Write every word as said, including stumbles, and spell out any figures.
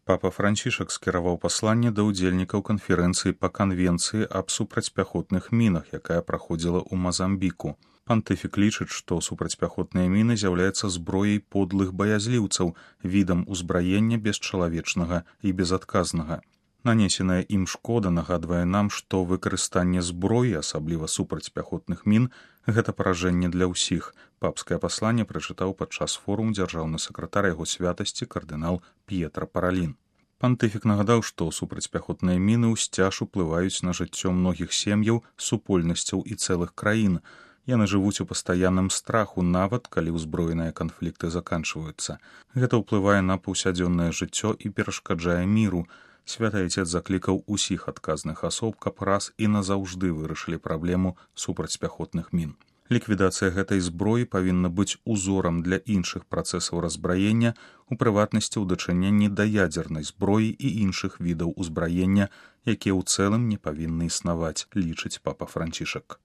Папа Францішак скіраваў пасланне да ўдзельнікаў канферэнцыі па канвенцыі аб супрацьпяхотных мінах, якая праходзіла ў Мазамбіку. Пантыфік лічыць, што супрацьпяхотныя міны з'яўляюцца зброяй подлых баязліўцаў, відам узбраення бесчалавечнага і безадказнага. Нанесеная ім шкода нагадвае нам, што выкарыстанне зброі, асабліва супрацьпяхотных мін, гэта паражэнне для ўсіх. Папскае пасланне прачытаў падчас форуму дзяржаўны сакратар яго святасці кардынал П'етра Паралін. Пантыфік нагадаў, што супрацьпяхотныя міны ўсцяж уплываюць на жыццё многіх сем'яў, супольнасцяў і цэлых краін. Яны жывуць у пастаянным страху, нават калі ўзброеныя канфлікты заканчваюцца. Гэта ўплывае на паўсядзённае жыццё і перашкаджае міру. Святы Айцец заклікаў усіх адказных асоб, каб раз і назаўжды вырашылі праблему супрацьпяхотных мін. Ліквідацыя гэтай зброі павінна быць узорам для іншых працэсаў разбраення, у прыватнасці ў дачыненні да ядзернай зброі і іншых відаў узбраення, якія ў цэлым не павінны існаваць, лічыць папа Францішак.